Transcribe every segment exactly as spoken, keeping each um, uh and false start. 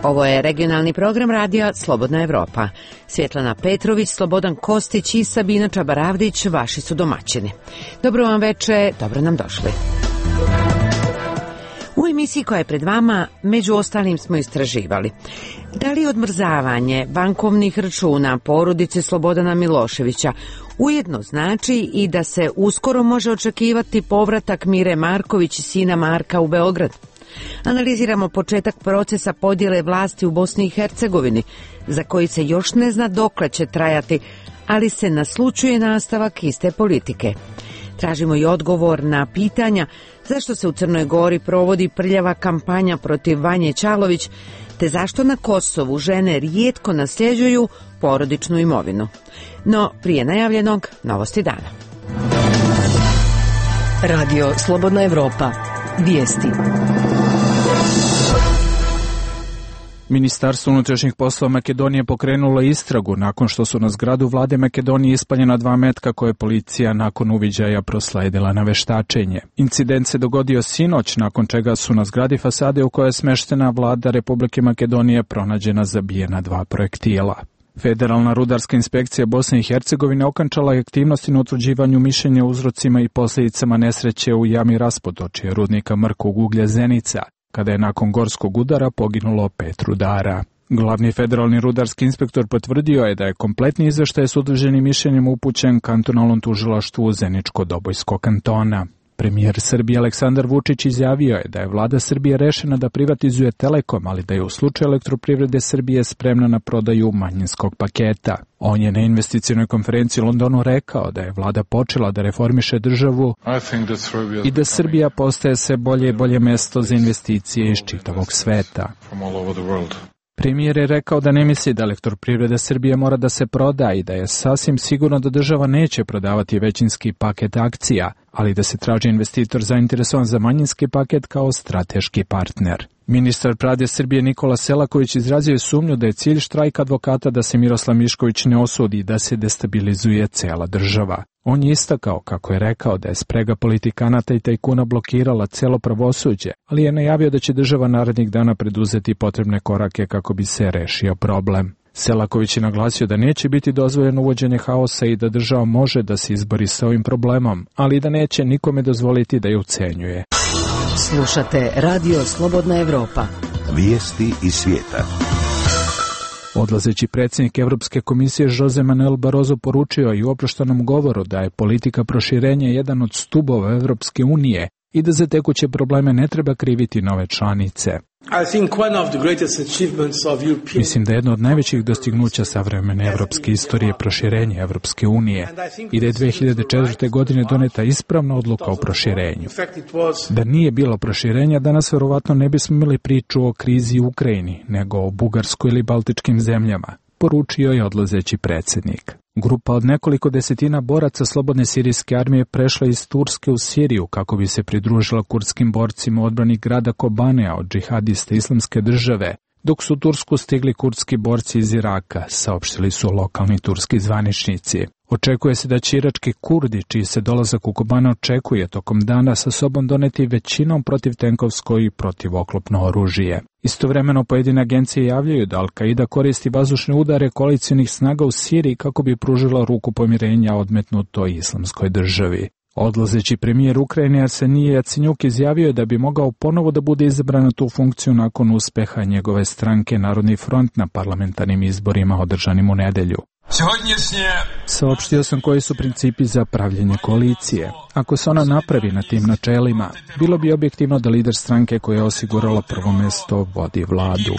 Ovo je regionalni program radija Slobodna Evropa. Svjetlana Petrović, Slobodan Kostić i Sabina Čabaravdić vaši su domaćini. Dobro vam veče, dobro nam došli. U emisiji koja je pred vama, među ostalim smo istraživali da li odmrzavanje bankovnih računa porodice Slobodana Miloševića ujedno znači i da se uskoro može očekivati povratak Mire Marković i sina Marka u Beograd. Analiziramo početak procesa podjele vlasti u Bosni i Hercegovini, za koji se još ne zna dokle će trajati, ali se naslućuje nastavak iste politike. Tražimo i odgovor na pitanja zašto se u Crnoj Gori provodi prljava kampanja protiv Vanje Ćalović, te zašto na Kosovu žene rijetko nasljeđuju porodičnu imovinu. No, prije najavljenog, novosti dana. Radio Slobodna Evropa. Vijesti. Ministarstvo unutrašnjih poslova Makedonije pokrenulo istragu nakon što su na zgradu vlade Makedonije ispaljena dva metka koje je policija nakon uviđaja prosledila na veštačenje. Incident se dogodio sinoć, nakon čega su na zgradi fasade u kojoj je smeštena vlada Republike Makedonije pronađena zabijena dva projektila. Federalna rudarska inspekcija Bosne i Hercegovine okončala je aktivnosti na utvrđivanju mišljenja o uzrocima i posljedicama nesreće u jami Raspodočje rudnika mrkog uglja Zenica, kada je nakon gorskog udara poginulo pet rudara. Glavni federalni rudarski inspektor potvrdio je da je kompletni izveštaj s utvrđenim mišljenjem upućen kantonalnom tužilaštvu Zeničko-Dobojskog kantona. Premijer Srbije Aleksandar Vučić izjavio je da je vlada Srbije rešena da privatizuje Telekom, ali da je u slučaju Elektroprivrede Srbije spremna na prodaju manjinskog paketa. On je na investicionoj konferenciji u Londonu rekao da je vlada počela da reformiše državu i da Srbija postaje sve bolje i bolje mesto za investicije iz čitavog sveta. Premijer je rekao da ne misli da Elektroprivreda Srbije mora da se proda i da je sasvim sigurno da država neće prodavati većinski paket akcija, ali da se traži investitor zainteresovan za manjinski paket kao strateški partner. Ministar pravde Srbije Nikola Selaković izrazio je sumnju da je cilj štrajka advokata da se Miroslav Mišković ne osudi i da se destabilizuje cela država. On je istakao, kako je rekao, da je sprega politikanata i tajkuna blokirala celo pravosuđe, ali je najavio da će država narednih dana preduzeti potrebne korake kako bi se rešio problem. Selaković je naglasio da neće biti dozvoljeno uvođenje haosa i da država može da se izbori sa ovim problemom, ali da neće nikome dozvoliti da je ucenjuje. Slušate Radio Slobodna Evropa. Vijesti iz svijeta. Odlazeći predsjednik Evropske komisije Jose Manuel Barroso poručio i u oproštenom govoru da je politika proširenja jedan od stubova Evropske unije i da za tekuće probleme ne treba kriviti nove članice. Mislim da je jedno od najvećih dostignuća savremene evropske istorije je proširenje Evropske unije i da je dve hiljade četvrte. godine doneta ispravna odluka o proširenju. Da nije bilo proširenja, danas verovatno ne bismo imali priču o krizi u Ukrajini, nego o Bugarskoj ili Baltičkim zemljama, poručio je odlazeći predsjednik. Grupa od nekoliko desetina boraca Slobodne sirijske armije prešla iz Turske u Siriju kako bi se pridružila kurdskim borcima u odbrani grada Kobanea od džihadista Islamske države, dok su u Tursku stigli kurdski borci iz Iraka, saopštili su lokalni turski zvaničnici. Očekuje se da će irački Kurdi, čiji se dolazak u Kobane očekuje tokom dana, sa sobom doneti većinom protivtenkovsko i protivoklopno oružje. Istovremeno pojedine agencije javljaju da Al-Qaida koristi vazdušne udare koalicionih snaga u Siriji kako bi pružila ruku pomirenja odmetnutoj Islamskoj državi. Odlazeći premijer Ukrajine Arsenije Jacenjuk izjavio je da bi mogao ponovo da bude izabran na tu funkciju nakon uspeha njegove stranke Narodni front na parlamentarnim izborima održanim u nedelju. Saopštio sam koji su principi za pravljenje koalicije. Ako se ona napravi na tim načelima, bilo bi objektivno da lider stranke koja je osigurala prvo mesto vodi vladu.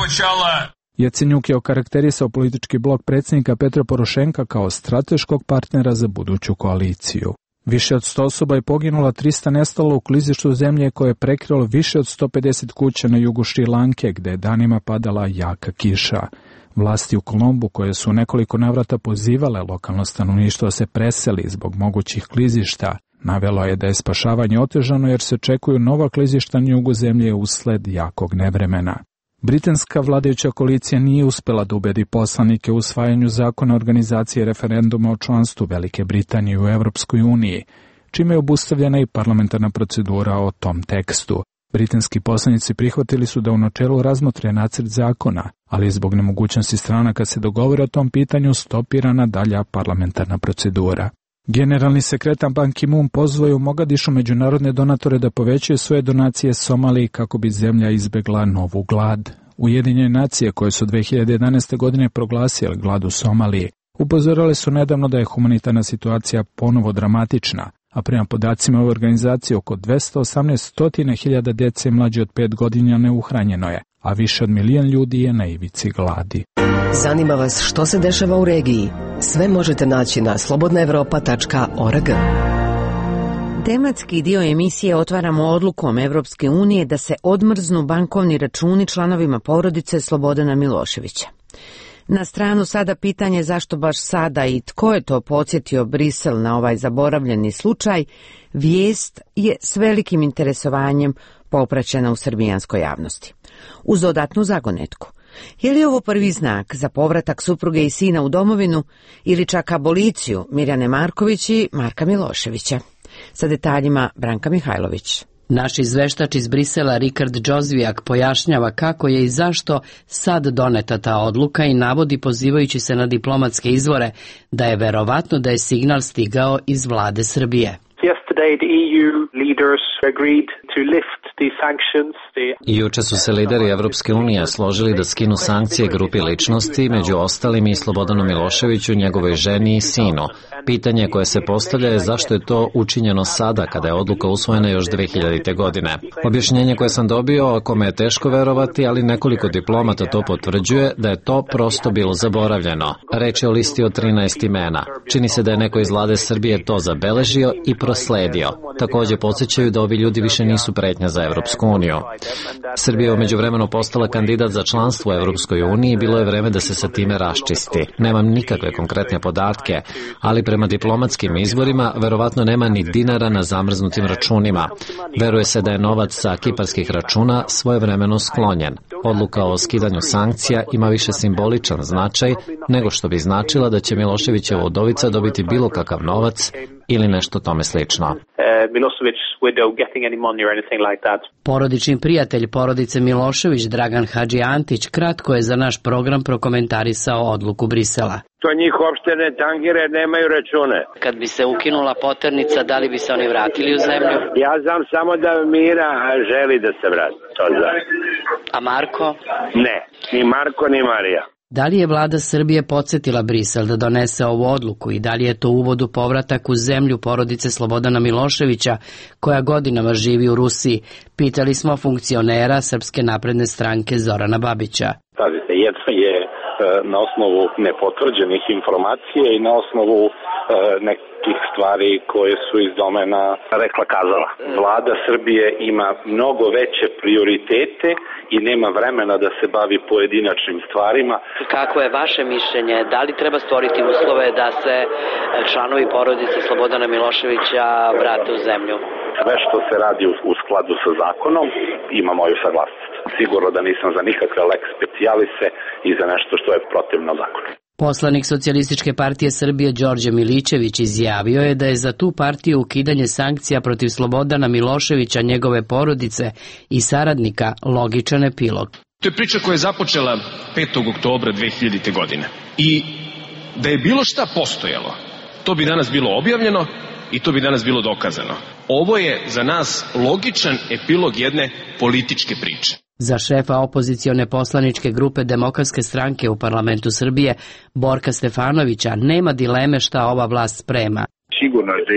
Jacenjuk je okarakterisao politički blok predsjednika Petra Porošenka kao strateškog partnera za buduću koaliciju. Više od sto osoba je poginulo, trista nestalo u klizištu zemlje koje je prekrilo više od sto pedeset kuća na jugu Šri Lanke, gde je danima padala jaka kiša. Vlasti u Kolombu, koje su nekoliko navrata pozivale lokalno stanovništvo da se preseli zbog mogućih klizišta, navelo je da je spašavanje otežano jer se očekuju nova klizišta na jugu zemlje usled jakog nevremena. Britanska vladajuća koalicija nije uspela da ubedi poslanike u usvajanju zakona organizacije referenduma o članstvu Velike Britanije u Evropskoj uniji, čime je obustavljena i parlamentarna procedura o tom tekstu. Britanski poslanici prihvatili su da u načelu razmotre nacrt zakona, ali zbog nemogućnosti stranaka se dogovore o tom pitanju stopirana dalja parlamentarna procedura. Generalni sekretar Ban Ki-moon pozvao je u Mogadišu međunarodne donatore da povećaju svoje donacije Somaliji kako bi zemlja izbegla novu glad. Ujedinjene nacije, koje su dve hiljade jedanaeste. godine proglasile glad u Somaliji, upozorile su nedavno da je humanitarna situacija ponovo dramatična, a prema podacima ove organizacije oko dvesta osamnaest hiljada djece mlađe od pet godina neuhranjeno je, a više od milion ljudi je na ivici gladi. Zanima vas što se dešava u regiji? Sve možete naći na slobodna evropa tačka org. Tematski dio emisije otvaramo odlukom Evropske unije da se odmrznu bankovni računi članovima porodice Slobodana Miloševića. Na stranu sada pitanje zašto baš sada i tko je to podsjetio Brisel na ovaj zaboravljeni slučaj, vijest je s velikim interesovanjem popraćena u srbijanskoj javnosti. Uz dodatnu zagonetku. Je li ovo prvi znak za povratak supruge i sina u domovinu ili čak aboliciju Mirjane Marković i Marka Miloševića? Sa detaljima Branka Mihajlović. Naš izveštač iz Brisela Rikard Džozvijak pojašnjava kako je i zašto sad doneta ta odluka i navodi, pozivajući se na diplomatske izvore, da je verovatno da je signal stigao iz vlade Srbije. Yesterday the E U leaders agreed to lift the sanctions. I juče su se lideri Evropske unije složili da skinu sankcije grupi ličnosti, među ostalim i Slobodanu Miloševiću, njegovoj ženi i sinu. Pitanje koje se postavlja je zašto je to učinjeno sada, kada je odluka usvojena još dve hiljadite. godine. Objašnjenje koje sam dobio, a kome je teško verovati, ali nekoliko diplomata to potvrđuje, da je to prosto bilo zaboravljeno. Reč je o listi od trinaest imena. Čini se da je neko iz vlade Srbije to zabeležio i prosledio. Također podsjećaju da ovi ljudi više nisu pretnja za Evropsku uniju. Srbija je umeđuvremenu postala kandidat za članstvo u Evropskoj uniji i bilo je vreme da se sa time raščisti. Nemam nikakve konkretne podatke, ali prema diplomatskim izvorima verovatno nema ni dinara na zamrznutim računima. Veruje se da je novac sa kiparskih računa svojevremeno sklonjen. Odluka o skidanju sankcija ima više simboličan značaj nego što bi značila da će Miloševićeva udovica dobiti bilo kakav novac ili nešto tome slično. Porodični prijatelj porodice Milošević, Dragan Hadži Antić, kratko je za naš program prokomentarisao odluku Brisela. To njih uopšte ne tangire, nemaju račune. Kad bi se ukinula poternica, da li bi se oni vratili u zemlju? Ja znam samo da Mira želi da se vrati. To znam. A Marko? Ne, ni Marko ni Marija. Da li je vlada Srbije podsjetila Brisel da donese ovu odluku i da li je to uvod u povratak u zemlju porodice Slobodana Miloševića, koja godinama živi u Rusiji? Pitali smo funkcionera Srpske napredne stranke Zorana Babića. Pazite, jedno je na osnovu nepotvrđenih informacija i na osnovu e, nekih stvari koje su iz domena rekla kazala. Vlada Srbije ima mnogo veće prioritete i nema vremena da se bavi pojedinačnim stvarima. Kako je vaše mišljenje? Da li treba stvoriti uslove da se članovi porodice Slobodana Miloševića vrate u zemlju? Sve što se radi u, u skladu sa zakonom ima moju saglasnost. Sigurno da nisam za nikakve lex specialise i za nešto što je protivno zakonu. Poslanik Socijalističke partije Srbije Đorđe Milićević izjavio je da je za tu partiju ukidanje sankcija protiv Slobodana Miloševića, njegove porodice i saradnika logičan epilog. To je priča koja je započela petog oktobra dve hiljadite. godine. I da je bilo šta postojalo, to bi danas bilo objavljeno i to bi danas bilo dokazano. Ovo je za nas logičan epilog jedne političke priče. Za šefa opozicione poslaničke grupe Demokratske stranke u parlamentu Srbije, Borka Stefanovića, nema dileme šta ova vlast sprema. Sigurno je da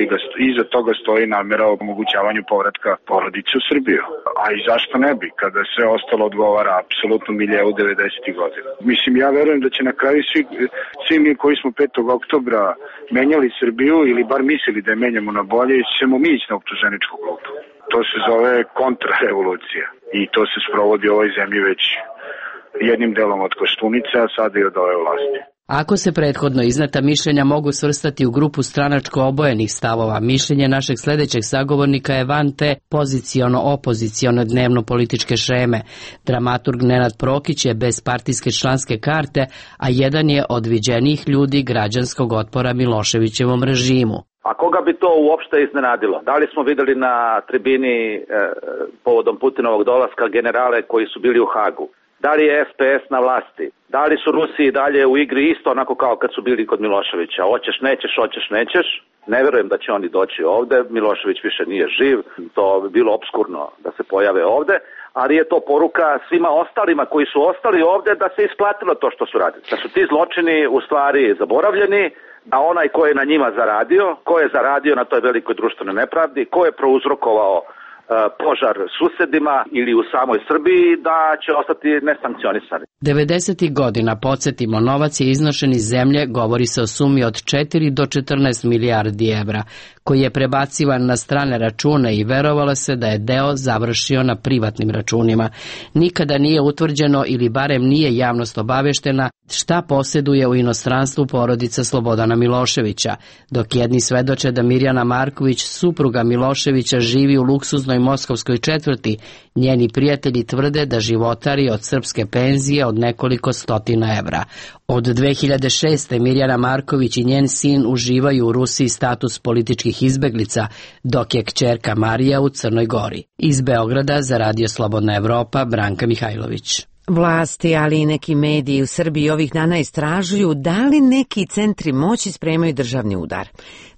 iza toga stoji namjera o omogućavanju povratka porodice u Srbiju. A i zašto ne bi, kada sve ostalo odgovara apsolutno miljevu devedesetih godina. Mislim, ja verujem da će na kraju svi, svi mi koji smo petog oktobra menjali Srbiju ili bar mislili da je menjamo na bolje, ćemo mi ići na optuženičku klupu. To se zove kontrarevolucija i to se sprovodi u ovoj zemlji već jednim delom od Koštunice, a sada i od ove vlasti. Ako se prethodno izneta mišljenja mogu svrstati u grupu stranačko obojenih stavova, mišljenje našeg sljedećeg sagovornika je van te poziciono-opoziciono dnevno-političke šeme. Dramaturg Nenad Prokić je bez partijske članske karte, a jedan je od viđenijih ljudi građanskog otpora Miloševićevom režimu. A koga bi to uopšte iznenadilo? Da li smo videli na tribini e, povodom Putinovog dolaska generale koji su bili u Hagu? Da li je S P S na vlasti? Da li su Rusi i dalje u igri isto onako kao kad su bili kod Miloševića? Hoćeš, nećeš, hoćeš, nećeš. Ne verujem da će oni doći ovde. Milošević više nije živ. To bi bilo obskurno da se pojave ovde. Ali je to poruka svima ostalima koji su ostali ovde da se isplatilo to što su radili. Da su ti zločini u stvari zaboravljeni, a onaj ko je na njima zaradio, ko je zaradio na toj velikoj društvenoj nepravdi, ko je prouzrokovao požar susedima ili u samoj Srbiji, da će ostati nesankcionisani. devedesetih godina, podsjetimo, novac je iznošen iz zemlje, govori se o sumi od četiri do četrnaest milijardi evra, koji je prebacivan na strane račune i verovalo se da je deo završio na privatnim računima. Nikada nije utvrđeno ili barem nije javnost obaveštena šta posjeduje u inostranstvu porodica Slobodana Miloševića, dok jedni svedoče da Mirjana Marković, supruga Miloševića, živi u luksuznoj moskovskoj četvrti, njeni prijatelji tvrde da životari od srpske penzije od nekoliko stotina evra. Od dve hiljade šeste. Mirjana Marković i njen sin uživaju u Rusiji status političkih izbeglica, dok je kćerka Marija u Crnoj Gori. Iz Beograda za Radio Slobodna Evropa, Branka Mihajlović. Vlasti, ali i neki mediji u Srbiji ovih dana istražuju da li neki centri moći spremaju državni udar.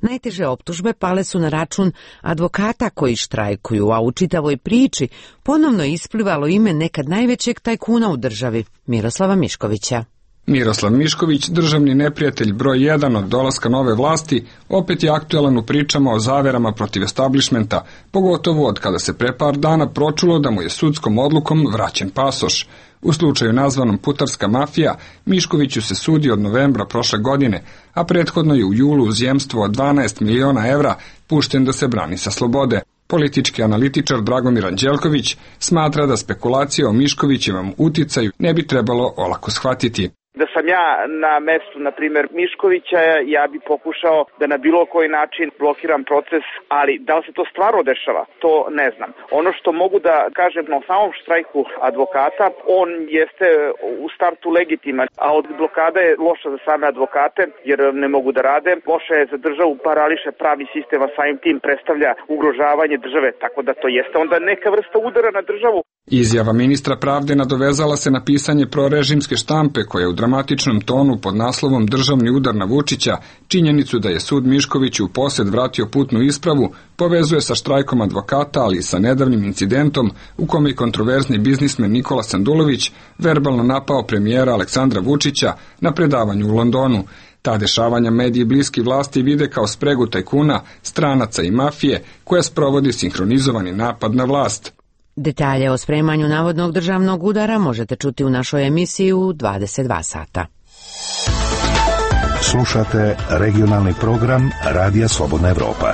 Najteže optužbe pale su na račun advokata koji štrajkuju, a u čitavoj priči ponovno isplivalo ime nekad najvećeg tajkuna u državi, Miroslava Miškovića. Miroslav Mišković, državni neprijatelj broj jedan od dolaska nove vlasti, opet je aktuelan u pričama o zaverama protiv establishmenta, pogotovo od kada se pre par dana pročulo da mu je sudskom odlukom vraćen pasoš. U slučaju nazvanom putarska mafija, Miškoviću se sudi od novembra prošle godine, a prethodno je u julu uz jemstvo od dvanaest miliona evra pušten da se brani sa slobode. Politički analitičar Dragomir Anđelković smatra da spekulacije o Miškovićevom uticaju ne bi trebalo olako shvatiti. Da sam ja na mestu, na primjer, Miškovića, ja bi pokušao da na bilo koji način blokiram proces, ali da li se to stvarno dešava, to ne znam. Ono što mogu da kažem na samom štrajku advokata, on jeste u startu legitiman, a od blokada je loša za same advokate, jer ne mogu da rade. Loša je za državu, parališe pravi sistem, a samim tim predstavlja ugrožavanje države, tako da to jeste onda neka vrsta udara na državu. Izjava ministra pravde nadovezala se na pisanje prorežimske štampe koja u dramatičnom tonu pod naslovom Državni udar na Vučića činjenicu da je sud Miškoviću u posjed vratio putnu ispravu povezuje sa štrajkom advokata, ali i sa nedavnim incidentom u kome je kontroverzni biznismen Nikola Sandulović verbalno napao premijera Aleksandra Vučića na predavanju u Londonu. Ta dešavanja mediji bliski vlasti vide kao spregu tajkuna, stranaca i mafije koja sprovodi sinhronizovani napad na vlast. Detalje o spremanju navodnog državnog udara možete čuti u našoj emisiji u dvadeset dva sata. Slušate regionalni program Radija Slobodna Evropa.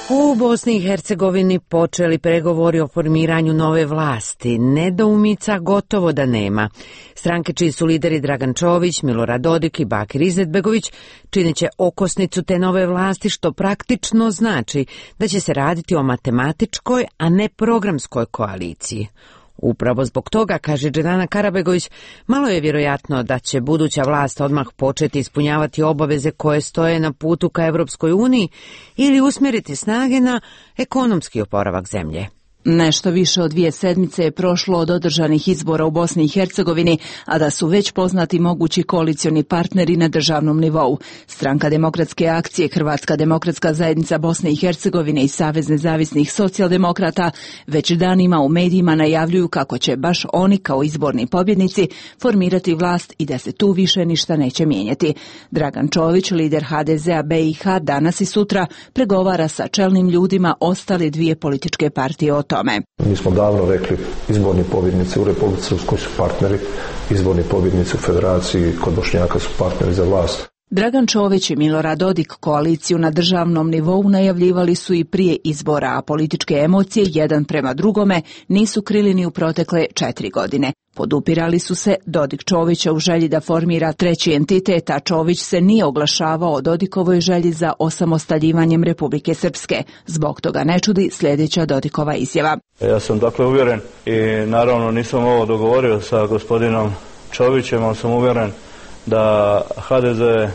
U Bosni i Hercegovini počeli pregovori o formiranju nove vlasti. Nedoumica gotovo da nema. Stranke čiji su lideri Dragan Čović, Milorad Dodik i Bakir Izetbegović činit će okosnicu te nove vlasti, što praktično znači da će se raditi o matematičkoj, a ne programskoj koaliciji. Upravo zbog toga, kaže Dženana Karabegović, malo je vjerojatno da će buduća vlast odmah početi ispunjavati obaveze koje stoje na putu ka Evropskoj uniji ili usmjeriti snage na ekonomski oporavak zemlje. Nešto više od dvije sedmice je prošlo od održanih izbora u Bosni i Hercegovini, a da su već poznati mogući koalicioni partneri na državnom nivou. Stranka demokratske akcije, Hrvatska demokratska zajednica Bosne i Hercegovine i Savez nezavisnih socijaldemokrata već danima u medijima najavljuju kako će baš oni kao izborni pobjednici formirati vlast i da se tu više ništa neće mijenjati. Dragan Čović, lider H D Z-a B i H, danas i sutra pregovara sa čelnim ljudima ostale dvije političke partije o tome. Mi smo davno rekli, izborni pobjednici u Republici Srpskoj su partneri, izborni pobjednici u Federaciji kod Bošnjaka su partneri za vlast. Dragan Čović i Milorad Dodik koaliciju na državnom nivou najavljivali su i prije izbora, a političke emocije jedan prema drugome nisu krili ni u protekle četiri godine. Podupirali su se Dodik Čovića u želji da formira treći entitet, a Čović se nije oglašavao o Dodikovoj želji za osamostaljivanjem Republike Srpske. Zbog toga ne čudi sljedeća Dodikova izjava. Ja sam dakle uvjeren i naravno nisam ovo dogovorio sa gospodinom Čovićem, ali sam uvjeren da H D Z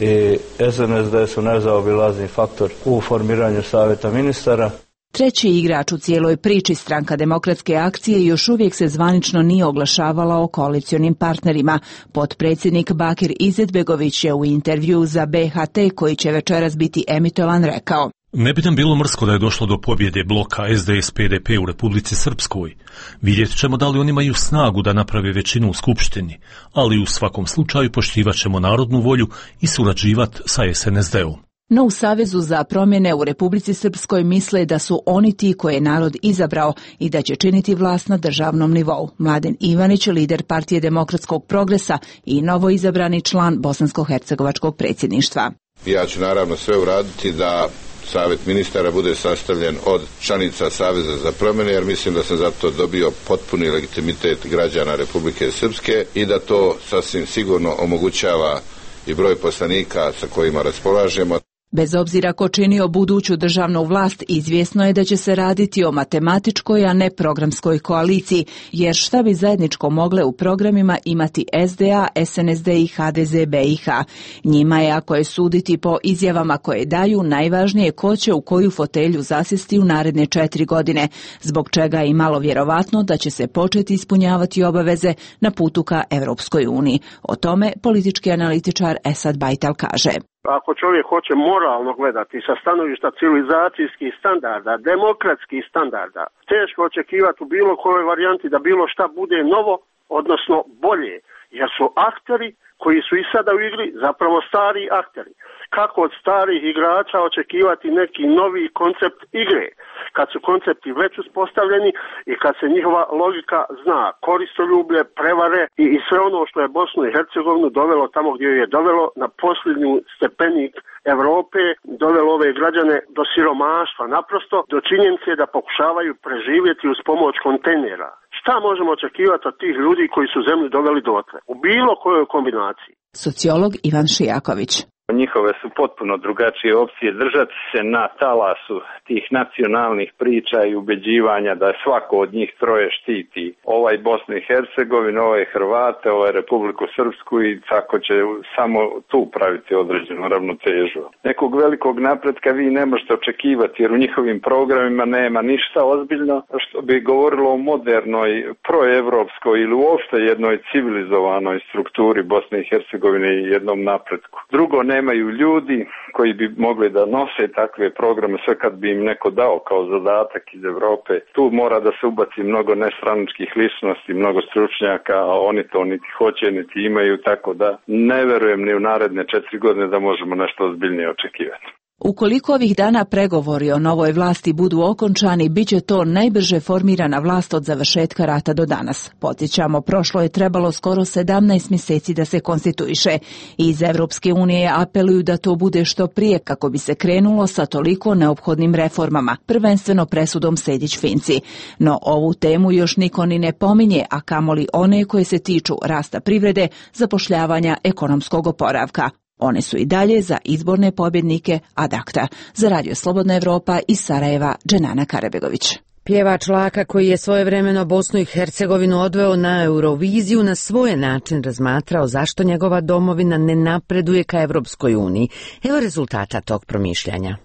i S N S D su nezaobilazni faktor u formiranju savjeta ministara. Treći igrač u cijeloj priči, Stranka demokratske akcije, još uvijek se zvanično nije oglašavala o koalicionim partnerima. Potpredsjednik Bakir Izetbegović je u intervju za B H T, koji će večeras biti emitovan, rekao: Ne bi nam bilo mrsko da je došlo do pobjede bloka S D S P D P u Republici Srpskoj. Vidjet ćemo da li oni imaju snagu da naprave većinu u Skupštini, ali u svakom slučaju poštivat ćemo narodnu volju i surađivat sa S N S D-om. No u Savezu za promjene u Republici Srpskoj misle da su oni ti koje je narod izabrao i da će činiti vlast na državnom nivou. Mladen Ivanić, lider Partije demokratskog progresa i novoizabrani član bosansko-hercegovačkog predsjedništva. Ja ću naravno sve uraditi da Savet ministara bude sastavljen od članica Saveza za promjene, jer mislim da sam zato dobio potpuni legitimitet građana Republike Srpske i da to sasvim sigurno omogućava i broj poslanika sa kojima raspolažemo. Bez obzira ko činio buduću državnu vlast, izvjesno je da će se raditi o matematičkoj, a ne programskoj koaliciji, jer šta bi zajedničko mogle u programima imati S D A, S N S D i H D Z B I H. Njima je, ako je suditi po izjavama koje daju, najvažnije ko će u koju fotelju zasjesti u naredne četiri godine, zbog čega je i malo vjerovatno da će se početi ispunjavati obaveze na putu ka Europskoj uniji. O tome politički analitičar Esad Bajtal kaže: Ako čovjek hoće moralno gledati sa stanovišta civilizacijskih standarda, demokratskih standarda, teško očekivati u bilo kojoj varijanti da bilo šta bude novo, odnosno bolje, jer su akteri koji su i sada u igri zapravo stari akteri. Kako od starih igrača očekivati neki novi koncept igre, kad su koncepti već uspostavljeni i kad se njihova logika zna, koristoljublje, prevare i, i sve ono što je Bosnu i Hercegovinu dovelo tamo gdje je dovelo na posljednju stepenik Europe, dovelo ove građane do siromaštva, naprosto do činjenice da pokušavaju preživjeti uz pomoć kontejnera. Šta možemo očekivati od tih ljudi koji su zemlju doveli dotle, u bilo kojoj kombinaciji? Sociolog Ivan Šijaković: Njihove su potpuno drugačije opcije, držati se na talasu tih nacionalnih priča i ubeđivanja da svako od njih troje štiti ovaj Bosnu i Hercegovinu, ovaj Hrvate, ovaj Republiku Srpsku i tako će samo tu praviti određenu ravnotežu. Nekog velikog napretka vi ne možete očekivati jer u njihovim programima nema ništa ozbiljno što bi govorilo o modernoj, proevropskoj ili uopšte jednoj civilizovanoj strukturi Bosne i Hercegovine i jednom napretku. Drugo, nemaju ljudi koji bi mogli da nose takve programe, sve kad bi im neko dao kao zadatak iz Europe. Tu mora da se ubaci mnogo nestranačkih ličnosti, mnogo stručnjaka, a oni to niti hoće, niti imaju, tako da ne verujem ni u naredne četiri godine da možemo nešto ozbiljnije očekivati. Ukoliko ovih dana pregovori o novoj vlasti budu okončani, bit će to najbrže formirana vlast od završetka rata do danas. Podsjećamo, prošlo je trebalo skoro sedamnaest mjeseci da se konstituiše. Iz Evropske unije apeluju da to bude što prije kako bi se krenulo sa toliko neophodnim reformama, prvenstveno presudom Sejdić-Finci. No ovu temu još niko ni ne pominje, a kamoli one koje se tiču rasta privrede, zapošljavanja, ekonomskog oporavka. One su i dalje za izborne pobjednike ad acta. Za Radio Slobodna Evropa iz Sarajeva, Dženana Karabegović. Pjevač Laka, koji je svojevremeno Bosnu i Hercegovinu odveo na Euroviziju, na svoj način razmatrao zašto njegova domovina ne napreduje ka Evropskoj uniji. Evo rezultata tog promišljanja.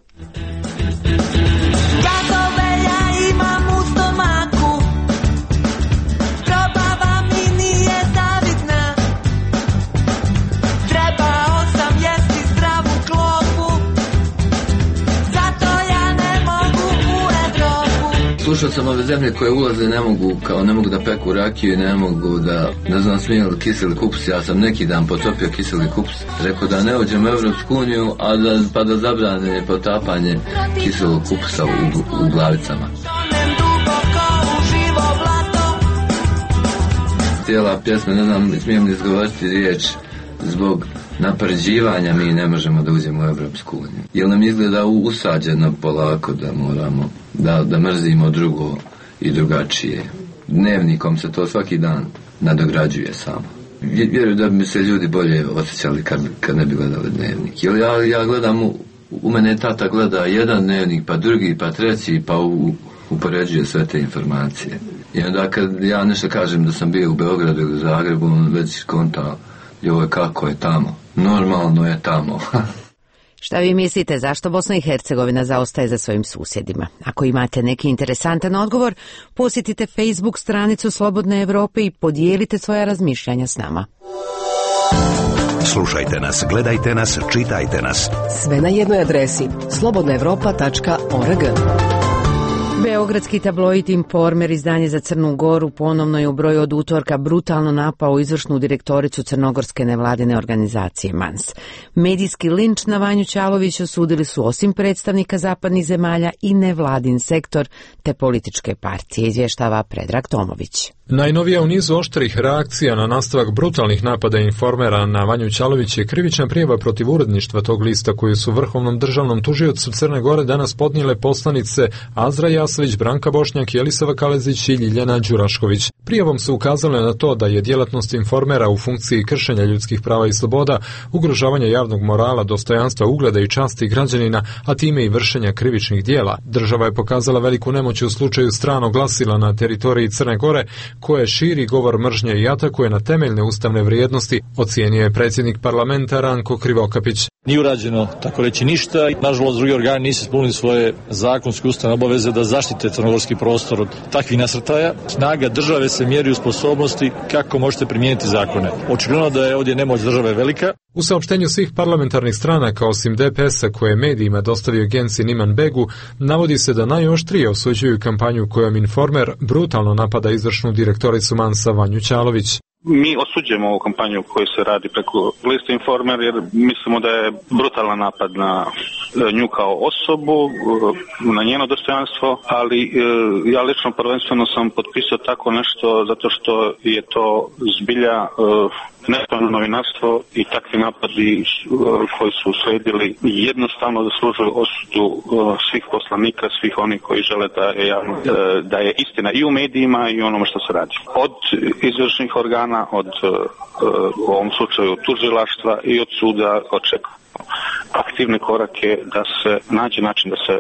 Slušao sam ove zemlje koje ulaze ne mogu, kao ne mogu da peku rakiju i ne mogu da, ne znam, smiju li kiseli kupus. Ja sam neki dan potopio kiseli kupus. Rekao da ne uđem u Evropsku uniju, a da, pa da zabrane potapanje kiselog kupusa u, u glavicama. Cijela pjesma, ne znam, smijem li izgovoriti riječ, zbog napređivanja mi ne možemo da uđemo u Evropsku uniju. Jer nam izgleda usađeno polako da moramo da, da mrzimo drugo i drugačije. Dnevnikom se to svaki dan nadograđuje samo. Vjerujem da bi se ljudi bolje osjećali kad, kad ne bi gledali dnevnik. Jer ja, ja gledam, u, u mene tata gleda jedan dnevnik, pa drugi, pa treći, pa u, upoređuje sve te informacije. I onda kad ja nešto kažem da sam bio u Beogradu ili u Zagrebu, on već konta joj kako je tamo. normalno je tamo. Šta vi mislite, zašto Bosna i Hercegovina zaostaje za svojim susjedima? Ako imate neki interesantan odgovor, posjetite Facebook stranicu Slobodne Evrope i podijelite svoja razmišljanja s nama. Slušajte nas, gledajte nas, čitajte nas. Sve na jednoj adresi slobodna evropa tačka org. Beogradski tabloid Informer, izdanje za Crnu Goru, ponovno je u broju od utorka brutalno napao izvršnu direktoricu crnogorske nevladine organizacije MANS. Medijski linč na Vanju Ćalović osudili su osim predstavnika zapadnih zemalja i nevladin sektor te političke partije, izvještava Predrag Tomović. Najnovija u nizu oštrih reakcija na nastavak brutalnih napada Informera na Vanju Ćalović je krivična prijava protiv uredništva tog lista koju su Vrhovnom državnom tužiocu Crne Gore danas podnijele poslanice Azra Jasović, Branka Bošnjak, Jelisava Kalezić i Ljiljana Đurašković. Prijavom su ukazale na to da je djelatnost Informera u funkciji kršenja ljudskih prava i sloboda, ugrožavanja javnog morala, dostojanstva, ugleda i časti građanina, a time i vršenja krivičnih dijela. Država je pokazala veliku nemoć u slučaju stranog glasila na teritoriji Crne Gore, koje širi govor mržnje i atakuje na temeljne ustavne vrijednosti, ocijenio je predsjednik parlamenta Ranko Krivokapić. Nije urađeno, tako reći, ništa. Nažalost, drugi organi nisu ispunili svoje zakonske ustavne obaveze da zaštite crnogorski prostor od takvih nasrtaja. Snaga države se mjeri u sposobnosti kako možete primijeniti zakone. Očigledno da je ovdje nemoć države velika. U saopštenju svih parlamentarnih stranaka, osim D P S-a koje je medijima dostavio Genci Niman Begu, navodi se da najoštrije osuđuju kampanju kojom Informer brutalno napada izvršnu direktoricu MANS-a Vanju Ćalović. Mi osuđujemo ovu kampanju koju se radi preko liste Informer jer mislimo da je brutalan napad na nju kao osobu, na njeno dostojanstvo, ali ja lično prvenstveno sam potpisao tako nešto zato što je to zbilja nespravno novinarstvo i takvi napadi koji su usledili jednostavno zaslužuju osudu svih poslanika, svih onih koji žele da je, javno, da je istina i u medijima i onome što se radi. Od izvršnih organa, od u ovom slučaju tužilaštva i od suda očekujemo aktivne korake da se nađe način da se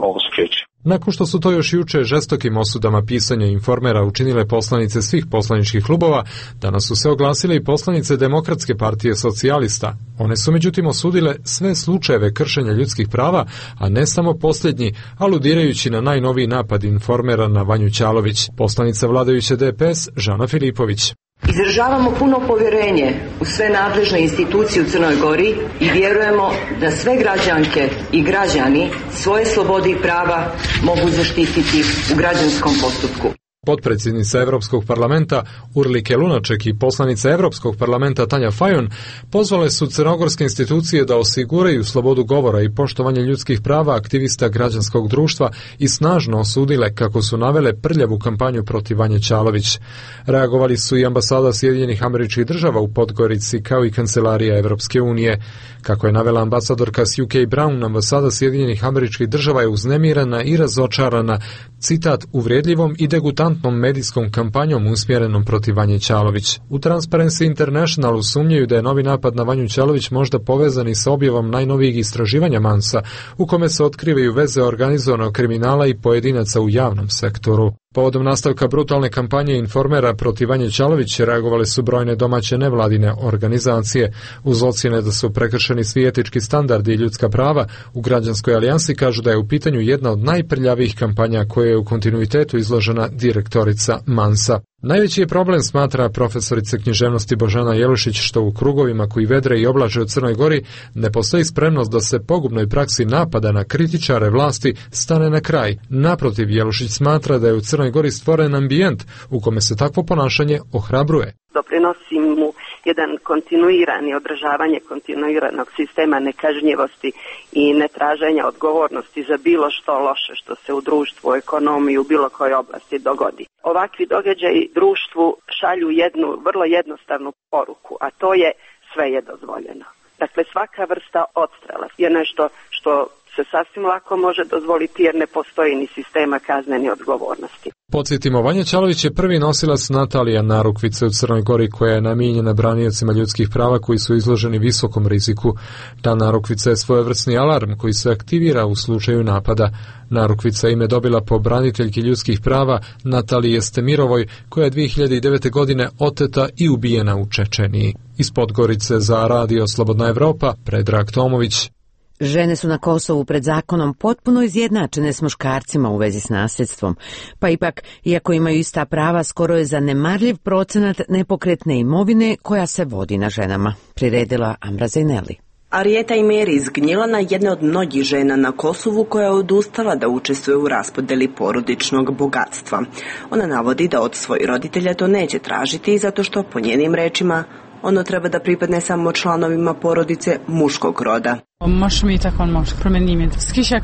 ovo spriječi. Nakon što su to još juče žestokim osudama pisanja Informera učinile poslanice svih poslaničkih klubova, danas su se oglasile i poslanice Demokratske partije socijalista. One su međutim osudile sve slučajeve kršenja ljudskih prava, a ne samo posljednji, aludirajući na najnoviji napad Informera na Vanju Ćalović. Poslanica vladajuće D P S Žana Filipović. Izražavamo puno povjerenje u sve nadležne institucije u Crnoj Gori i vjerujemo da sve građanke i građani svoje slobode i prava mogu zaštititi u građanskom postupku. Potpredsjednica Europskog parlamenta Urlike Lunaček i poslanica Europskog parlamenta Tanja Fajon pozvale su crnogorske institucije da osiguraju slobodu govora i poštovanje ljudskih prava aktivista građanskog društva i snažno osudile, kako su navele, prljavu kampanju protiv Vanje Ćalović. Reagovali su i ambasada Sjedinjenih Američkih Država u Podgorici kao i kancelarija Evropske unije. Kako je navela ambasadorka s U K Brown, ambasada Sjedinjenih Američkih Država je uznemirana i razočarana, citat, uvredljivom i degutantnom medijskom kampanjom usmjerenom protiv Vanje Ćalović. U Transparency Internationalu sumnjaju da je novi napad na Vanju Ćalović možda povezan i sa objavom najnovijih istraživanja MANS-a, u kome se otkrivaju veze organizovanog kriminala i pojedinaca u javnom sektoru. Povodom nastavka brutalne kampanje Informera protiv Vanje Ćalović reagovale su brojne domaće nevladine organizacije. Uz ocjene da su prekršeni svi etički standardi i ljudska prava, u Građanskoj alijansi kažu da je u pitanju jedna od najprljavijih kampanja koje je u kontinuitetu izložena direktorica MANS-a. Najveći je problem, smatra profesorica književnosti Božana Jelušić, što u krugovima koji vedre i oblače u Crnoj Gori ne postoji spremnost da se pogubnoj praksi napada na kritičare vlasti stane na kraj. Naprotiv, Jelušić smatra da je u Crnoj Gori stvoren ambijent u kome se takvo ponašanje ohrabruje. Doprinosi mu jedan kontinuirani održavanje kontinuiranog sistema nekažnjivosti i netraženja odgovornosti za bilo što loše što se u društvu, ekonomiji, u bilo kojoj oblasti dogodi. Ovakvi događaji društvu šalju jednu vrlo jednostavnu poruku, a to je sve je dozvoljeno. Dakle, svaka vrsta odstrela je nešto što se sasvim lako može dozvoliti jer ne postoji ni sistema kaznene odgovornosti. Podsjetimo, Vanja Ćalović je prvi nosilac Natalija narukvice u Crnoj Gori koja je namijenjena braniocima ljudskih prava koji su izloženi visokom riziku. Ta narukvica je svojevrsni alarm koji se aktivira u slučaju napada. Narukvica ime dobila po braniteljki ljudskih prava Natalije Stemirovoj koja je dvije hiljade devete. godine oteta i ubijena u Čečeniji. Iz Podgorice za Radio Slobodna Evropa, Predrag Tomović. Žene su na Kosovu pred zakonom potpuno izjednačene s muškarcima u vezi s nasljedstvom, pa ipak, iako imaju ista prava, skoro je zanemarljiv procenat nepokretne imovine koja se vodi na ženama, priredila Amra Zejneli. Arijeta Imeri iz Gnjilana jedna od mnogih žena na Kosovu koja je odustala da učestvuje u raspodeli porodičnog bogatstva. Ona navodi da od svojih roditelja to neće tražiti zato što, po njenim rečima, ono treba da pripadne samo članovima porodice muškog roda.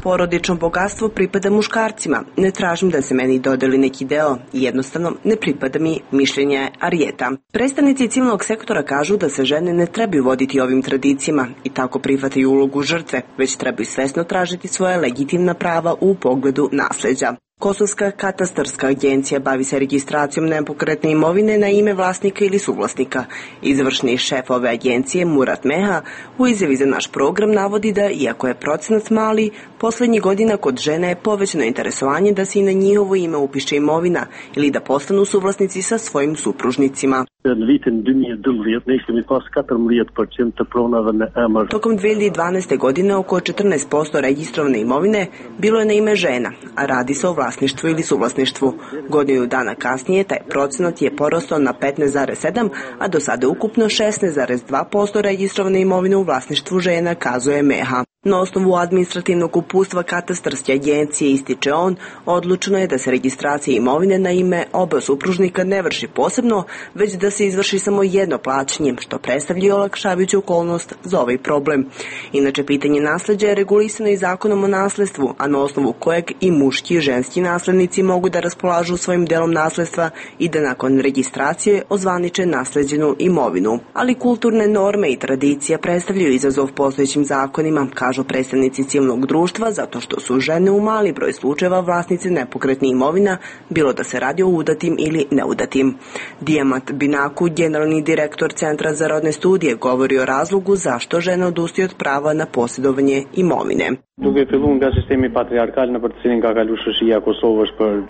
Porodično bogatstvo pripada muškarcima. Ne tražim da se meni dodeli neki deo i jednostavno ne pripada mi, mišljenje Arijeta. Predstavnici civilnog sektora kažu da se žene ne trebaju voditi ovim tradicijama i tako prihvataju ulogu žrtve, već trebaju svesno tražiti svoje legitimna prava u pogledu nasleđa. Kosovska katastarska agencija bavi se registracijom nepokretne imovine na ime vlasnika ili suvlasnika. Izvršni šef ove agencije, Murat Meha, u izjavi za naš program navodi da, iako je procenat mali, poslednjih godina kod žena je povećano interesovanje da se i na njihovo ime upiše imovina ili da postanu suvlasnici sa svojim supružnicima. Tokom dve hiljade dvanaeste. godine oko četrnaest posto registrovane imovine bilo je na ime žena, a radi se o vlasništvu ili suvlasništvu. Godinu dana kasnije taj procenat je porastao na petnaest zarez sedam, a do sada ukupno šesnaest zarez dva posto registrovane imovine u vlasništvu žena, kazuje Meha. Na osnovu administrativnog uputstva katastarske agencije, ističe on, odlučeno je da se registracija imovine na ime oba supružnika ne vrši posebno, već da se izvrši samo jedno plaćanje, što predstavlja olakšavajuću okolnost za ovaj problem. Inače, pitanje nasleđa je regulisano i zakonom o nasledstvu, a na osnovu kojeg i muški i ženski naslednici mogu da raspolažu svojim delom nasledstva i da nakon registracije ozvaniče nasleđenu imovinu. Ali kulturne norme i tradicija predstavljaju izazov postojećim zakonima, kažu predstavnici civilnog društva, zato što su žene u mali broj slučajeva vlasnice nepokretnih imovina, bilo da se radi o udatim ili neudatim. Dijamat Binaku, generalni direktor Centra za rodne studije, govori o razlogu zašto žene odustaju od prava na posjedovanje imovine.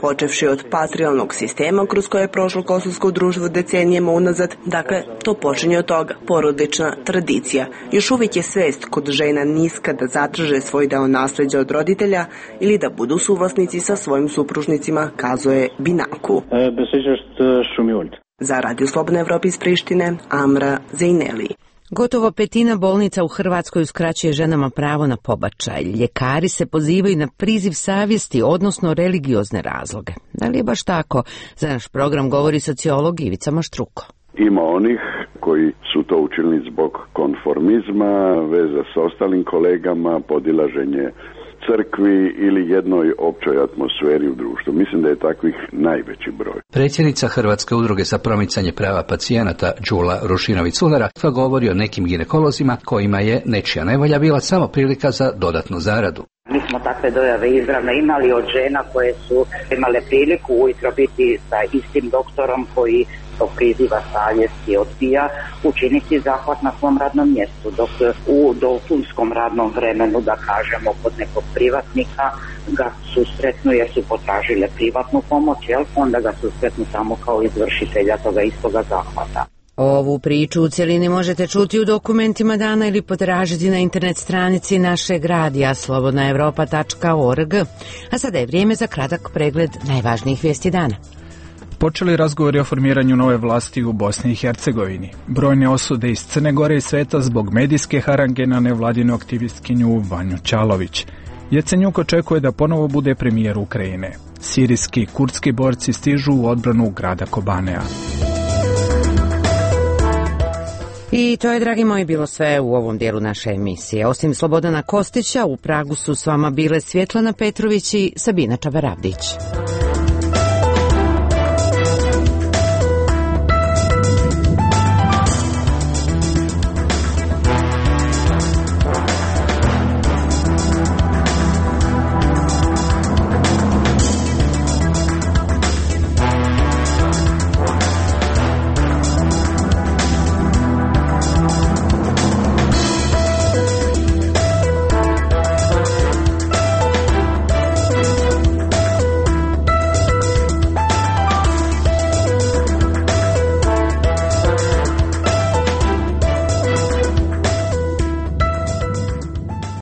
Počevši od patrijalnog sistema kroz koje je prošlo kosovsko društvo decenijama unazad, dakle, to počinje od toga, porodična tradicija. Još uvijek je svest kod žena niska da zadrže svoj deo nasleđa od roditelja ili da budu suvlasnici sa svojim supružnicima, kazuje Binaku. Za Radio Slobodna Evropa iz Prištine, Amra Zejneli. Gotovo petina bolnica u Hrvatskoj uskraćuje ženama pravo na pobačaj. Ljekari se pozivaju na priziv savjesti, odnosno religiozne razloge. Da li je baš tako? Za naš program govori sociolog Ivica Maštruko. Ima onih koji su to učinili zbog konformizma, veza sa ostalim kolegama, podilaženje crkvi ili jednoj općoj atmosferi u društvu. Mislim da je takvih najveći broj. Predsjednica Hrvatske udruge za promicanje prava pacijenata Đula Rušinović-Culera govori o nekim ginekolozima kojima je nečija nevolja bila samo prilika za dodatnu zaradu. Mi smo takve dojave izravno imali od žena koje su imale priliku ujutro biti sa istim doktorom koji to priziva savjesti odbija učiniti zahvat na svom radnom mjestu, dok u dopunskom radnom vremenu, da kažemo, kod nekog privatnika ga susretnu jer su potražile privatnu pomoć, jel? Onda ga susretnu samo kao izvršitelja toga istoga zahvata. Ovu priču u cjelini možete čuti u dokumentima dana ili potražiti na internet stranici našeg radija slobodna evropa tačka org. A sada je vrijeme za kratak pregled najvažnijih vijesti dana. Počeli razgovori o formiranju nove vlasti u Bosni i Hercegovini. Brojne osude iz Crne Gore i sveta zbog medijske harange na nevladinu aktivistkinju Vanju Ćalović. Jecenjuk očekuje da ponovo bude premijer Ukrajine. Sirijski kurdski borci stižu u odbranu grada Kobanea. I to je, dragi moji, bilo sve u ovom dijelu naše emisije. Osim Slobodana Kostića, u Pragu su s vama bile Svjetlana Petrović i Sabina Čabaravdić.